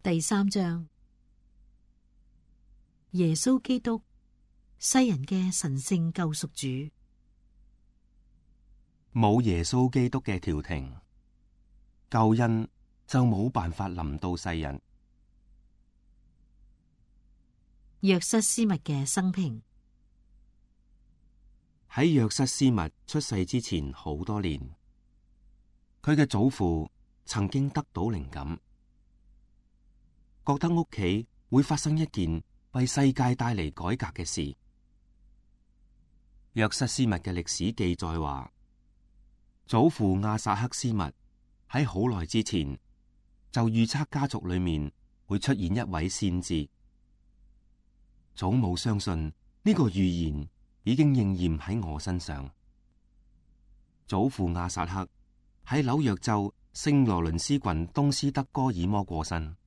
第3章，耶穌基督，世人嘅神聖救贖主。冇耶穌基督嘅調停，救恩就冇辦法臨到世人。約瑟斯密嘅生平。喺約瑟斯密出世之前好多年，佢嘅祖父曾經得到靈感，覺得屋企會發生一件為世界帶嚟改革嘅事。約瑟斯密嘅歷史記載話，祖父亞撒克斯密喺好耐之前就預測家族裏面會出現一位先知。祖母相信呢個預言已經應驗喺我身上。祖父亞撒克喺紐約州聖羅倫斯郡東斯德哥爾摩過身。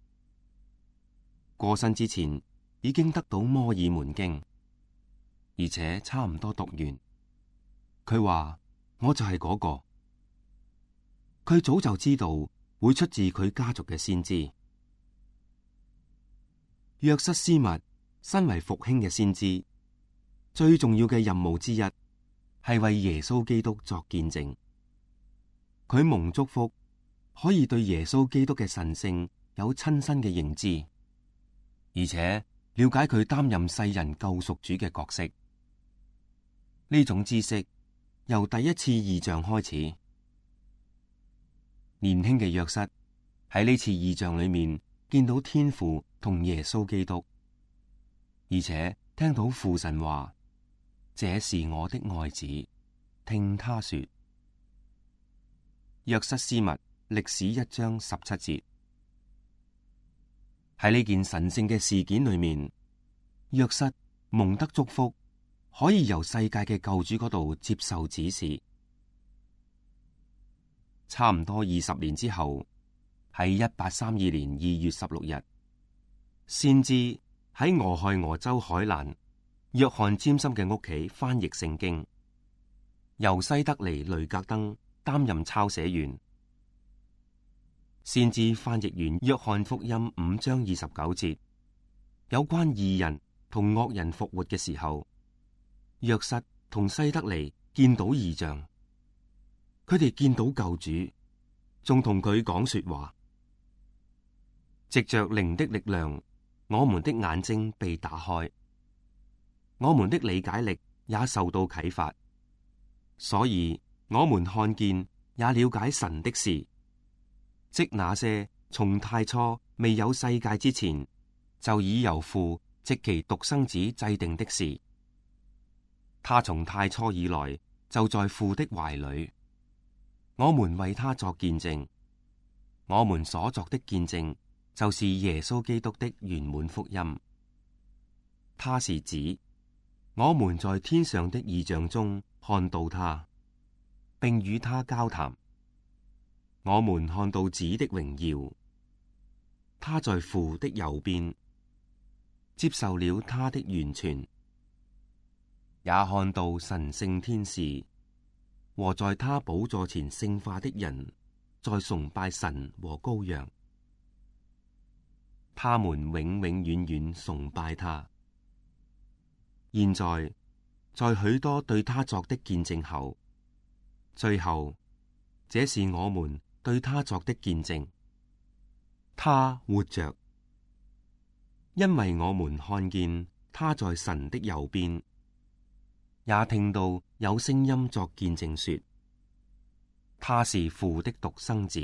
過身之前已經得到摩爾門經，而且差唔多讀完。佢話我就係嗰個。佢早就知道會出自佢家族嘅先知。約瑟斯密身為復興嘅先知，最重要嘅任務之一係為耶穌基督作見證。佢蒙祝福，可以對耶穌基督嘅神聖有親身嘅認知，而且了解佢擔任世人救贖主嘅角色。呢種知識由第一次異象開始。年輕嘅約瑟喺呢次異象裏面見到天父同耶穌基督，而且聽到父神話：這是我的愛子，聽他說。約瑟斯密歷史1章17節。喺呢件神聖嘅事件裏面，約瑟蒙得祝福，可以由世界嘅救主嗰度接受指示。差唔多20年之後，喺1832年2月16日，先知喺俄亥俄州海蘭約翰詹森嘅屋企翻譯聖經，由西德尼雷格登擔任抄寫員。先知翻譯完約翰福音5章29節，有關義人同惡人復活嘅時候，約瑟同西德尼見到異象。佢哋見到救主，仲同佢講說話。藉着靈的力量，我們的眼睛被打開，我們的理解力也受到啟發，所以我們看見也了解神的事，即那些從太初未有世界之前，就已由父藉其獨生子制定的事。他從太初以來就在父的懷裏。我們為他作見證，我們所作的見證就是耶穌基督的圓滿福音。他是子，我們在天上的異象中看到他，並與他交談。我們看到子的榮耀，他在父的右邊，接受了他的完全，也看到神聖天使和在他寶座前聖化的人，在崇拜神和羔羊，他們永永遠遠崇拜他。現在，在許多對他作的見證後，最後，這是我們對他作的見證：他活着，因為我們看見他在神的右邊。也聽到有聲音作見證說，他是父的獨生子。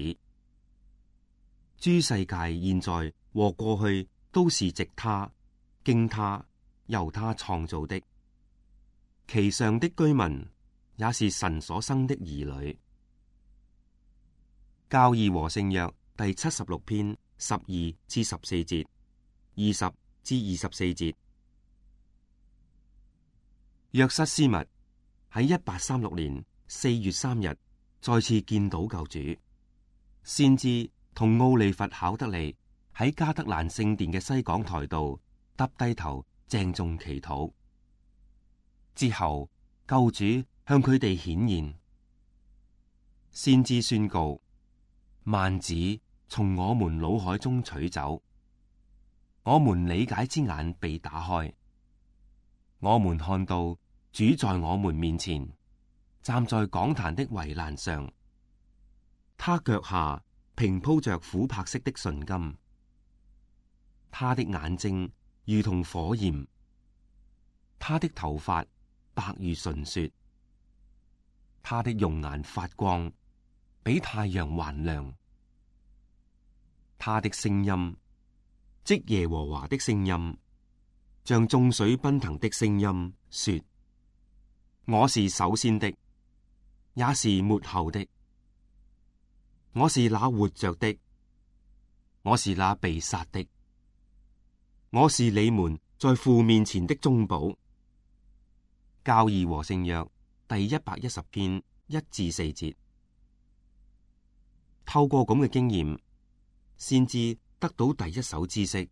諸世界現在和過去都是藉他、經他、由他創造的，其上的居民也是神所生的兒女。教義和聖約第76篇12至14節，20至24節。約瑟斯密喺1836年4月3日再次見到救主。先知同奧利弗考德利喺加德蘭聖殿嘅西講台度耷低頭鄭重祈禱。之後救主向佢哋顯現。先知宣告：幔子從我們腦海中取走，我們理解之眼被打開，我們看到主在我們面前，站在講壇的圍欄上，他腳下平鋪着琥珀色的純金，他的眼睛如同火焰，他的頭髮白如純雪，他的容顏發光，比太陽還亮。他的聲音，即耶和華的聲音，像眾水奔騰的聲音，說：我是首先的，也是末後的，我是那活着的，我是那被殺的，我是你們在父面前的中保。教義和聖約第110篇1至4節。透過咁嘅經驗，先知得到第一手知識，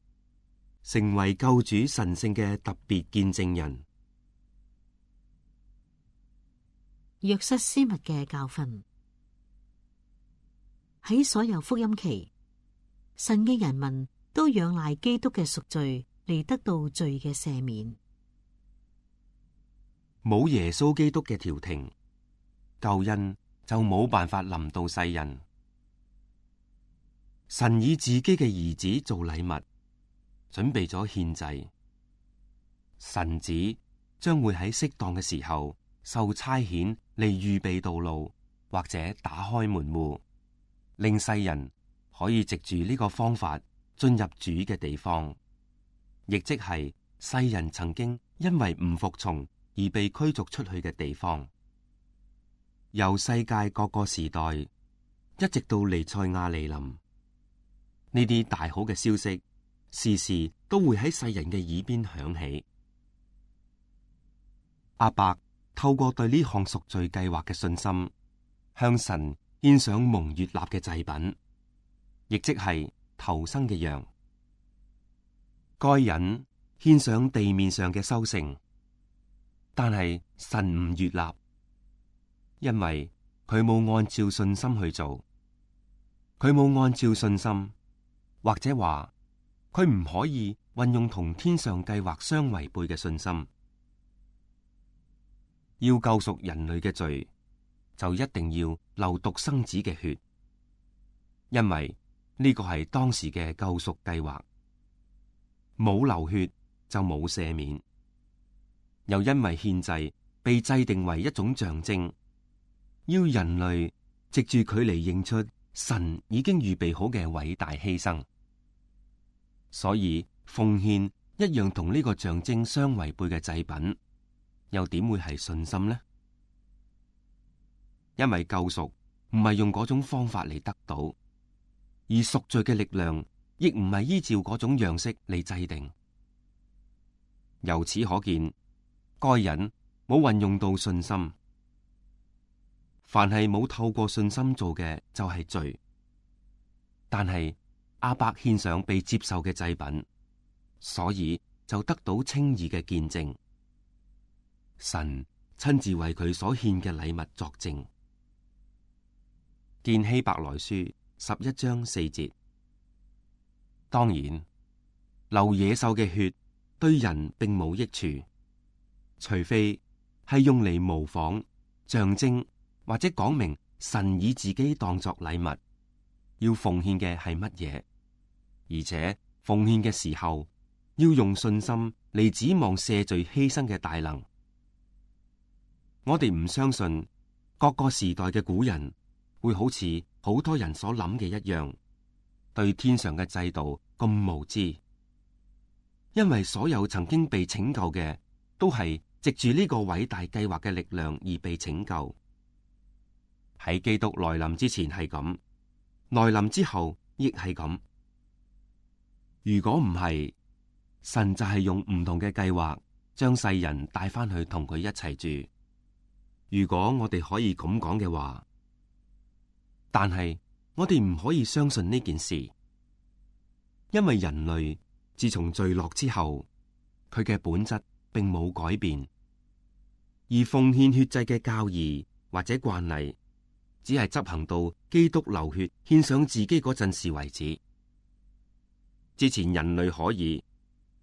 成為救主神聖嘅特別見證人。約瑟斯密嘅教訓。喺所有福音期，神嘅人民都仰賴基督嘅贖罪嚟得到罪嘅赦免。冇耶穌基督嘅調停，救恩就冇辦法臨到世人。神以自己嘅兒子做禮物，準備咗獻祭。神子將會喺適當嘅時候受差遣嚟預備道路，或者打開門戶，令世人可以藉住呢個方法進入主嘅地方，亦即係世人曾經因為唔服從而被驅逐出去嘅地方。由世界各個時代一直到彌賽亞來臨，呢啲大好嘅消息時時都會喺世人嘅耳邊響起。亞伯透過對呢項贖罪計劃嘅信心，向神獻上蒙悅納嘅祭品，亦即係頭生嘅羊。該隱獻上地面上嘅收成，但係神唔悅納，因為佢冇按照信心去做，佢冇按照信心，或者話佢唔可以運用同天上計劃相違背嘅信心。要救贖人類嘅罪，就一定要流獨生子嘅血，因為呢個係當時嘅救贖計劃。冇流血就冇赦免，又因為獻祭被制定為一種象徵，要人類藉住佢嚟認出神已經預備好嘅偉大犧牲，所以奉獻一樣同呢個象徵相違背嘅祭品，又點會係信心呢？因為救贖唔係用嗰種方法嚟得到，而贖罪嘅力量亦唔係依照嗰種樣式嚟制定。由此可見，該隱冇運用到信心。凡係冇透過信心做嘅就係罪。但係亞伯獻上被接受嘅祭品，所以就得到稱義嘅見證。神親自為佢所獻嘅禮物作證。見希伯來書11章4節。當然，流野獸嘅血對人並冇益處，除非係用嚟模仿、象徵或者講明神以自己當作禮物，要奉獻嘅係乜嘢，而且奉獻嘅時候要用信心嚟指望赦罪犧牲嘅大能。我哋唔相信各個時代嘅古人會好似好多人所諗嘅一樣，對天上嘅制度咁無知，因為所有曾經被拯救嘅都係藉住呢個偉大計劃嘅力量而被拯救。喺基督來臨之前係咁，來臨之後亦係咁。如果唔係，神就係用唔同嘅計劃將世人帶翻去同佢一齊住。如果我哋可以咁講嘅話，但係我哋唔可以相信呢件事，因為人類自從墜落之後，佢嘅本質並冇改變，而奉獻血祭嘅教義或者慣例，只係執行到基督流血獻上自己嗰陣時為止。之前人類可以，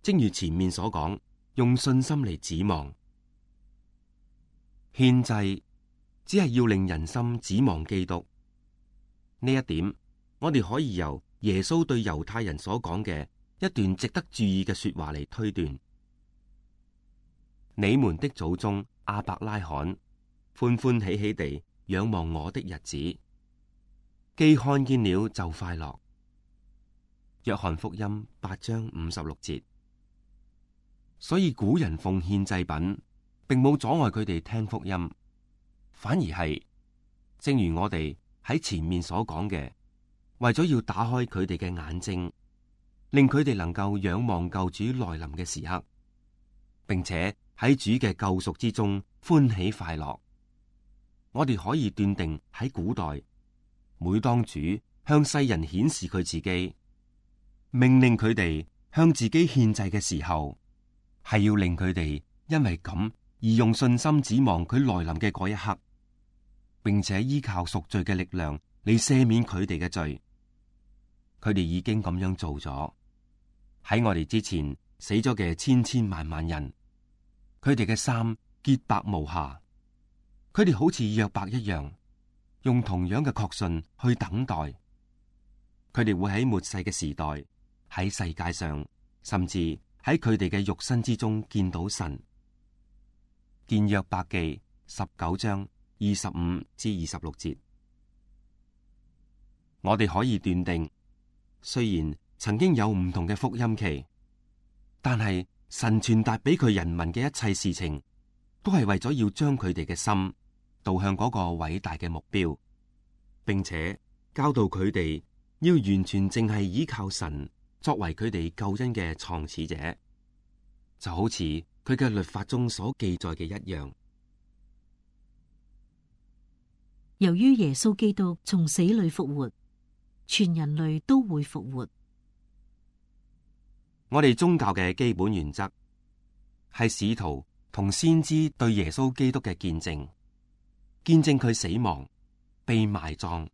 正如前面所講，用信心嚟指望。獻祭只係要令人心指望基督。呢一點，我哋可以由耶穌對猶太人所講嘅一段值得注意嘅說話嚟推斷。你們的祖宗亞伯拉罕歡歡喜喜地仰望我的日子，既看見了就快樂。約翰福音8章56節。所以古人奉獻祭品，並冇阻礙佢哋聽福音，反而係正如我哋喺前面所講嘅，為咗要打開佢哋嘅眼睛，令佢哋能夠仰望救主來臨嘅時刻，並且喺主嘅救贖之中歡喜快樂。我哋可以斷定喺古代，每當主向世人顯示佢自己，命令佢哋向自己獻祭嘅時候，係要令佢哋因為咁而用信心指望佢來臨嘅嗰一刻，並且依靠贖罪嘅力量嚟赦免佢哋嘅罪。佢哋已經咁樣做咗。喺我哋之前死咗嘅千千萬萬人，佢哋嘅衫潔白無瑕，佢哋好似約伯一樣，用同樣嘅確信去等待。佢哋會喺末世嘅時代，喺世界上，甚至喺佢哋嘅肉身之中見到神。見約伯記19章25至26節。我哋可以斷定，雖然曾經有唔同嘅福音期，但係神傳達俾佢人民嘅一切事情，都係為咗要將佢哋嘅心導向嗰個偉大嘅目標，並且教導佢哋要完全淨係依靠神作為佢哋救恩嘅創始者，就好似佢嘅律法中所記載嘅一樣。由於耶穌基督從死裏復活，全人類都會復活。我哋宗教嘅基本原則係使徒同先知對耶穌基督嘅見證，見證佢死亡、被埋葬、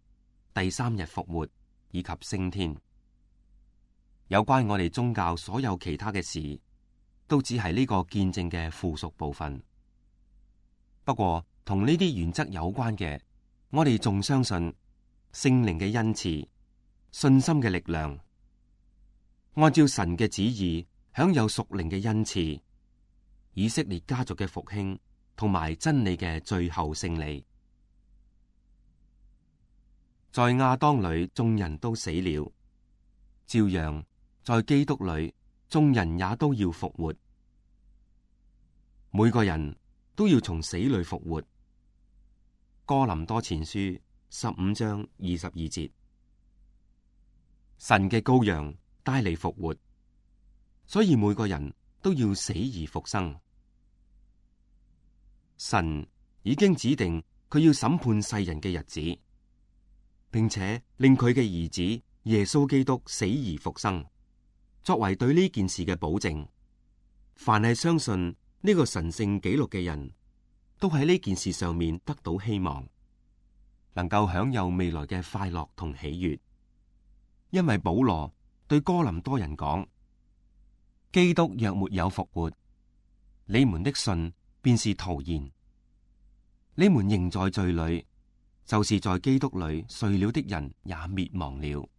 第3日復活以及升天。有關我哋宗教所有其他嘅事，都只係呢個見證嘅附屬部分。不過同呢啲原則有關嘅，我哋仲相信聖靈嘅恩賜、信心嘅力量，按照神嘅旨意享有屬靈嘅恩賜，以色列家族嘅復興同埋真理嘅最後勝利。在亞當裏眾人都死了，照樣在基督裏眾人也都要復活。每個人都要從死裏復活。哥林多前書15章22節。神嘅羔羊帶嚟復活，所以每個人都要死而復生。神已經指定佢要審判世人嘅日子，並且令佢嘅兒子耶穌基督死而復生，作為對呢件事嘅保證。凡係相信呢個神聖紀錄嘅人，都喺呢件事上面得到希望，能夠享有未來嘅快樂同喜悅。因為保羅對哥林多人講：基督若沒有復活，你們的信便是徒然；你們仍在罪裏，就是在基督裏睡了的人也滅亡了。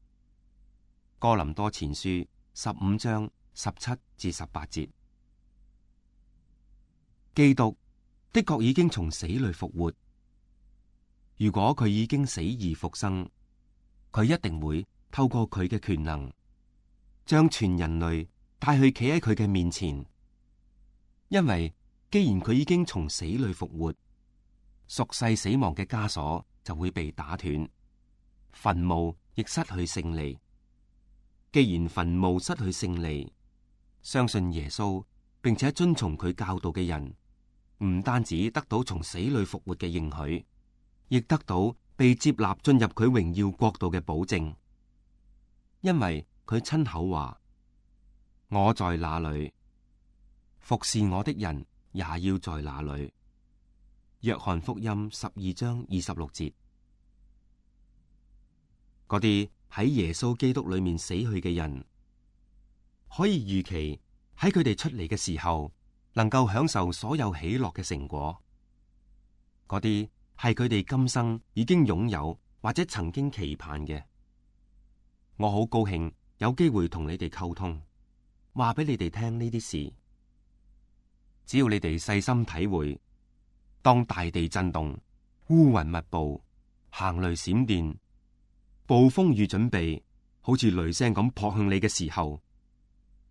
哥林多前書15章17至18節。基督的確已經從死裏復活。如果佢已經死而復生，佢一定會透過佢嘅權能，將全人類帶去企喺佢嘅面前。因為既然佢已經從死裏復活，屬世死亡嘅枷鎖就會被打斷，墳墓亦失去勝利。既然墳墓失去勝利，相信耶穌並且遵從佢教導嘅人，唔單止得到從死裏復活嘅應許，亦得到被接納進入佢榮耀國度嘅保證。因為佢親口話：我在那裏，服侍我的人也要在那裏。約翰福音12章26節。嗰啲喺耶穌基督裏面死去嘅人，可以預期喺佢哋出嚟嘅時候，能夠享受所有喜樂嘅成果。嗰啲係佢哋今生已經擁有或者曾經期盼嘅。我好高興有機會同你哋溝通，話俾你哋聽呢啲事。只要你哋細心體會，當大地震動、烏雲密布、行雷閃電、暴風雨準備好似雷聲咁撲向你嘅時候，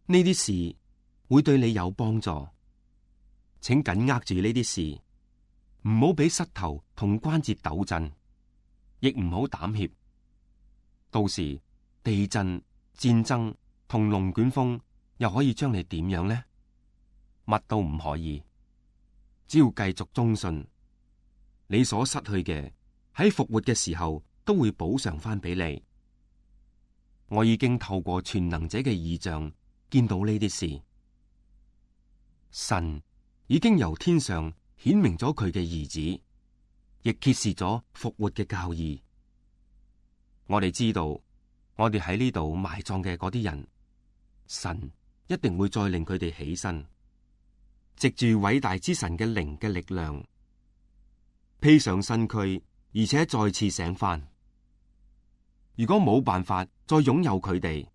呢啲事會對你有幫助。請緊握住呢啲事，唔好俾膝頭同關節抖震，亦唔好膽怯。到時地震、戰爭同龍捲風又可以將你點樣呢？乜都唔可以。只要繼續忠信，你所失去嘅喺復活嘅時候都會補償翻俾你。我已經透過全能者嘅異象見到呢啲事。神已經由天上顯明咗佢嘅兒子，亦揭示咗復活嘅教義。我哋知道，我哋喺呢度埋葬嘅嗰啲人，神一定會再令佢哋起身，藉住偉大之神嘅靈嘅力量，披上身軀，而且再次醒翻。如果冇辦法再擁有佢哋，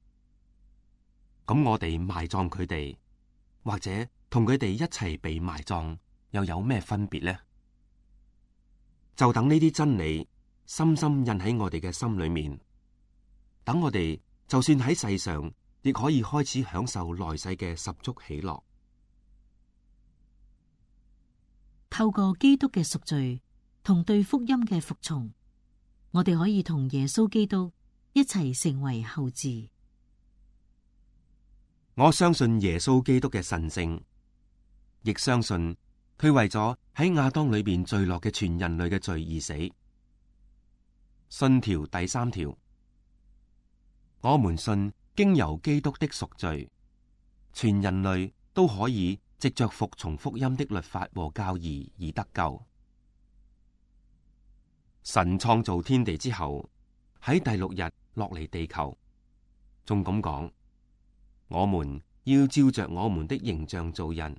咁我哋埋葬佢哋，或者同佢哋一齊被埋葬，又有咩分別呢？就等呢啲真理深深印喺我哋嘅心裏面，等我哋就算喺世上，亦可以開始享受來世嘅十足喜樂。透過基督嘅贖罪同對福音嘅服從，我哋可以同耶穌基督一齊成為後嗣。我相信耶穌基督嘅神聖，亦相信佢為咗喺亞當裏邊墜落嘅全人類嘅罪而死。信條第3條，我們信經由基督的贖罪，全人類都可以藉着服從福音的律法和教義而得救。神創造天地之後，喺第6日落嚟地球，仲咁講：我們要照着我們的形象造人。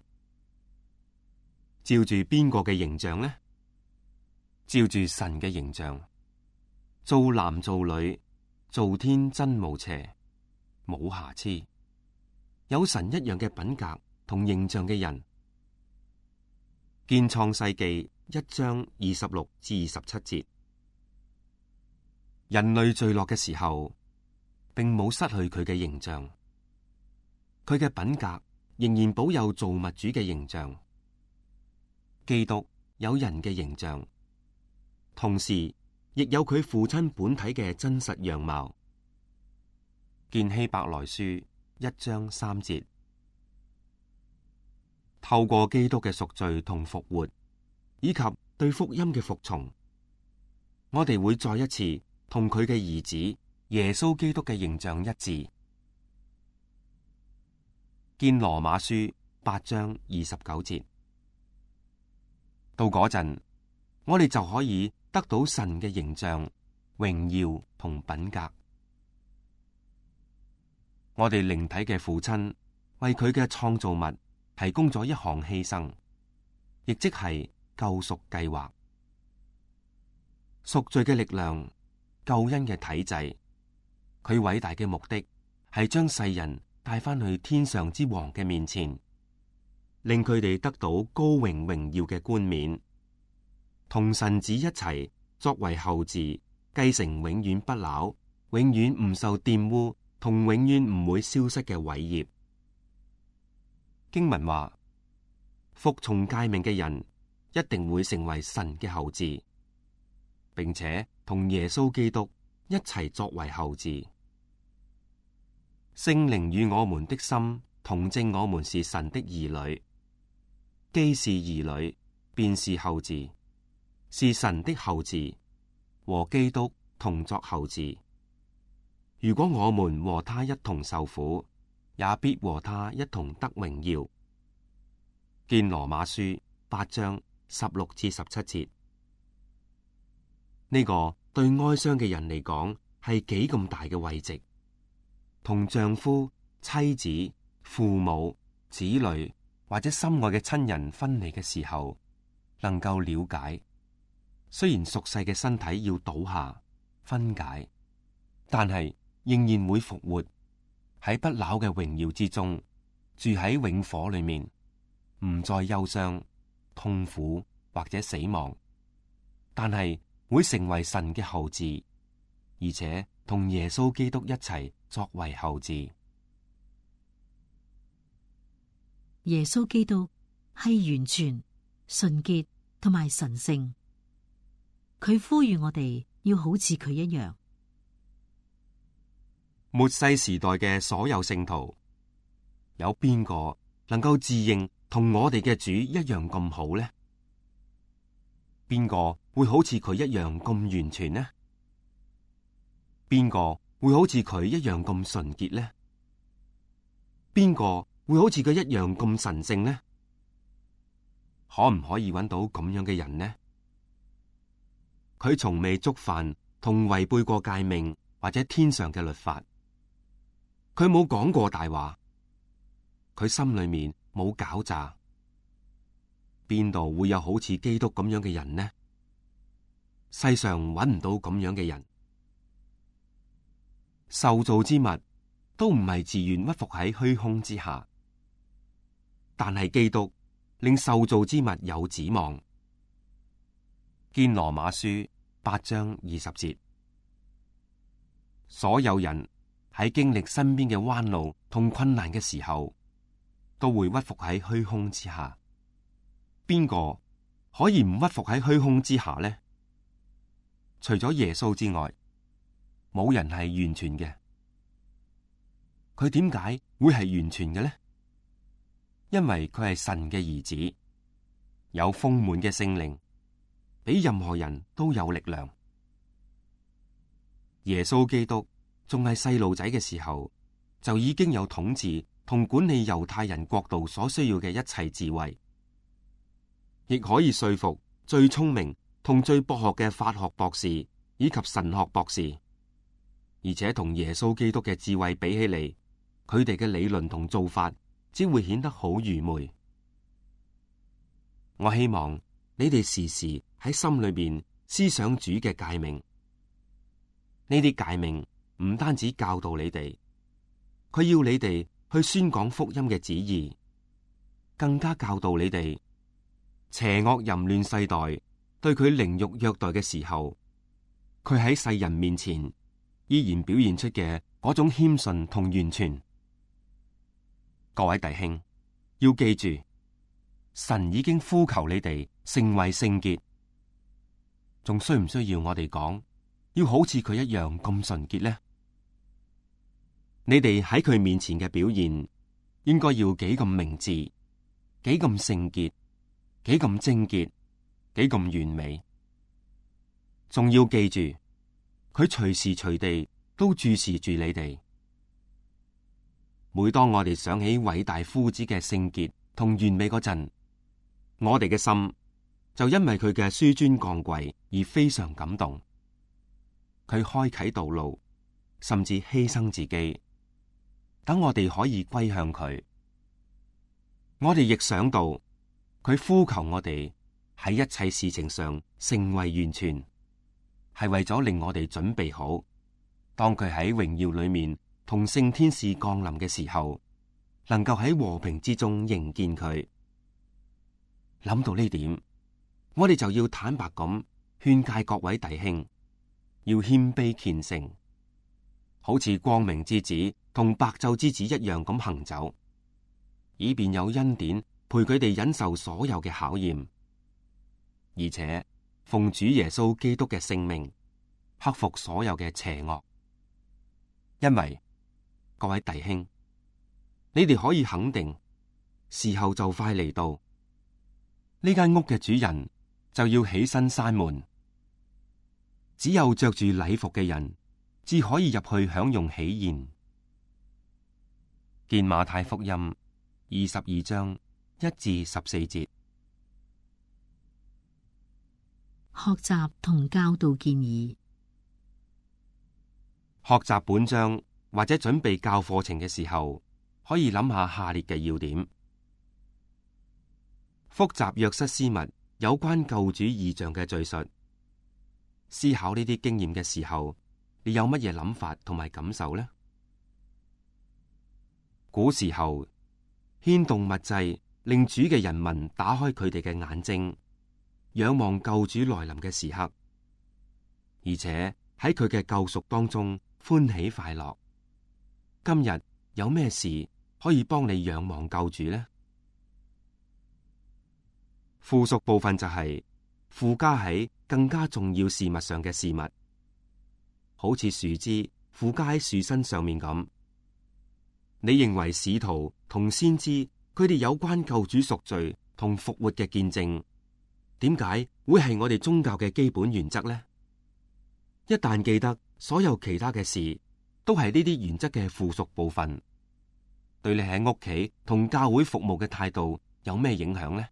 照住邊個嘅形象呢？照住神嘅形象，造男造女，造天真無邪，冇瑕疵，有神一樣嘅品格同形象嘅人。見創世記1章26至27節。人類墜落嘅時候，並冇失去佢嘅形象，佢嘅品格仍然保有造物主嘅形象。基督有人嘅形象，同時亦有佢父親本體嘅真實樣貌。見希伯來書1章3節。透過基督嘅贖罪同復活，以及對福音嘅服從，我哋會再一次同佢嘅兒子耶穌基督嘅形象一致。見羅馬書8章29節。到嗰陣，我哋就可以得到神嘅形象、榮耀同品格。我哋靈體嘅父親為佢嘅創造物提供咗一項犧牲，亦即係救贖計劃。贖罪嘅力量、救恩嘅體制，佢偉大嘅目的係將世人帶翻去天上之王嘅面前，令佢哋得到高榮榮耀嘅冠冕，同神子一齊作為後嗣，繼承永遠不朽、永遠唔受玷污同永遠唔會消失嘅偉業。經文話，服從誡命嘅人一定會成為神嘅後嗣，並且同耶穌基督一齊作為後嗣。聖靈與我們的心同證，我們是神的兒女。既是兒女，便是後嗣，是神的後嗣，和基督同作後嗣。如果我們和他一同受苦，也必和他一同得榮耀。見羅馬書8章16至17節。呢個對哀傷嘅人嚟講係幾咁大嘅慰藉，同丈夫妻子、父母、子女或者心愛嘅親人分離嘅時候，能夠了解，雖然俗世嘅身體要倒下分解，但係仍然會復活，喺不朽嘅榮耀之中，住喺永火裏面，唔再憂傷、痛苦或者死亡，但係會成為神嘅後嗣，而且同耶穌基督一齊作為後嗣。耶穌基督係完全、純潔同埋神聖，佢呼籲我哋要好似佢一樣。末世時代嘅所有聖徒，有邊個能夠自認同我哋嘅主一樣咁好呢？邊個會好似佢一樣咁完全呢？邊個會好似佢一樣咁純潔呢？邊個會好似佢一樣咁神聖呢？可唔可以揾到咁樣嘅人呢？佢從未觸犯同違背過誡命或者天上嘅律法，佢冇講過大話，佢心裏面冇狡詐，邊度會有好似基督咁樣嘅人呢？世上揾唔到咁樣嘅人。受造之物都唔係自願屈服喺虛空之下，但係基督令受造之物有指望。堅羅馬書8章20節，所有人喺經歷身邊嘅彎路同困難嘅時候，都會屈服喺虛空之下。邊個可以唔屈服喺虛空之下呢？除咗耶穌之外，冇人係完全嘅。佢點解會係完全嘅呢？因為佢係神嘅兒子，有豐滿嘅聖靈，比任何人都有力量。耶穌基督仲係細路仔嘅時候，就已經有統治同管理猶太人國度所需要嘅一切智慧，亦可以說服最聰明同最博學嘅法學博士以及神學博士。而且同耶穌基督嘅智慧比起嚟，佢哋嘅理論同做法只會顯得好愚昧。我希望你哋時時喺心裏邊思想主嘅誡命。呢啲誡命唔單止教導你哋，佢要你哋去宣講福音嘅旨意，更加教導你哋邪惡淫亂世代對佢凌辱虐待嘅時候，佢喺世人面前依然表現出嘅嗰種謙遜同完全。各位弟兄，要記住，神已經呼求你哋成為聖潔，仲需唔需要我哋講要好似佢一樣咁純潔呢？你哋喺佢面前嘅表現，應該要幾咁明智，幾咁聖潔，幾咁貞潔，幾咁完美。仲要記住，佢隨時隨地都注視住你哋。每當我哋想起偉大夫子嘅聖潔同完美嗰陣，我哋嘅心就因為佢嘅紆尊降貴而非常感動。佢開啟道路，甚至犧牲自己，等我哋可以歸向佢。我哋亦想到佢呼求我哋喺一切事情上成為完全，係為咗令我哋準備好，當佢喺榮耀裏面同聖天使降臨嘅時候，能夠喺和平之中迎見佢。諗到呢點，我哋就要坦白咁勸誡各位弟兄，要謙卑虔誠，好似光明之子同白晝之子一樣咁行走，以便有恩典陪佢哋忍受所有嘅考驗，而且奉主耶穌基督嘅聖名克服所有嘅邪惡。因為各位弟兄，你哋可以肯定，時候就快嚟到，呢間屋嘅主人就要起身閂門，只有着住禮服嘅人至可以入去享用喜宴。見馬太福音22章1至14節。學習同教導建議。學習本章或者準備教課程嘅時候，可以諗下下列嘅要點：複習約瑟斯密有關救主異象嘅敘述。思考呢啲經驗嘅時候，你有乜嘢諗法同埋感受呢？古時候牽動物祭，令主嘅人民打開佢哋嘅眼睛，仰望救主來臨嘅時刻，而且喺佢嘅救贖當中歡喜快樂。今日有咩事可以幫你仰望救主呢？附屬部分就係附加喺更加重要事物上嘅事物，好似樹枝附加喺樹身上面咁。你認為使徒同先知佢哋有關救主贖罪同復活嘅見證，點解會係我哋宗教嘅基本原則呢？一旦記得所有其他嘅事都係呢啲原則嘅附屬部分，對你喺屋企同教會服務嘅態度有咩影響呢？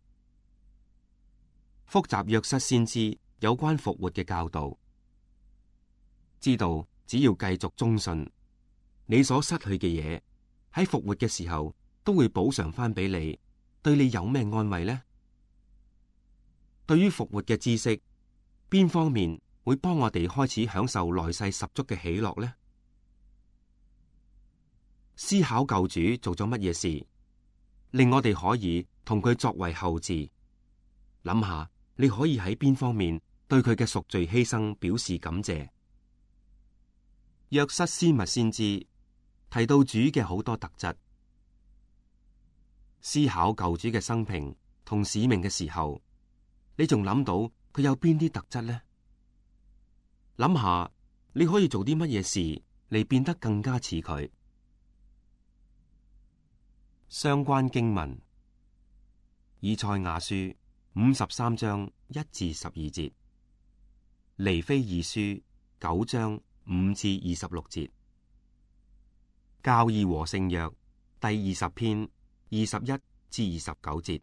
複習約瑟先知有關復活嘅教導，知道只要繼續忠信，你所失去嘅嘢喺復活嘅時候都會補償翻俾你，對你有咩安慰呢？對於復活嘅知識，邊方面會幫我哋開始享受來世十足嘅喜樂呢？思考救主做咗乜嘢事，令我哋可以同佢作為後嗣。諗下你可以喺邊方面對佢嘅贖罪犧牲表示感謝。約瑟斯密先知提到主嘅好多特質，思考救主嘅生平同使命嘅時候，你仲諗到佢有邊啲特質呢？諗下你可以做啲乜嘢事嚟變得更加似佢。相關經文：以賽亞書53章1至12節，尼非二書9章5至26節，教義和聖約第20篇21至29節。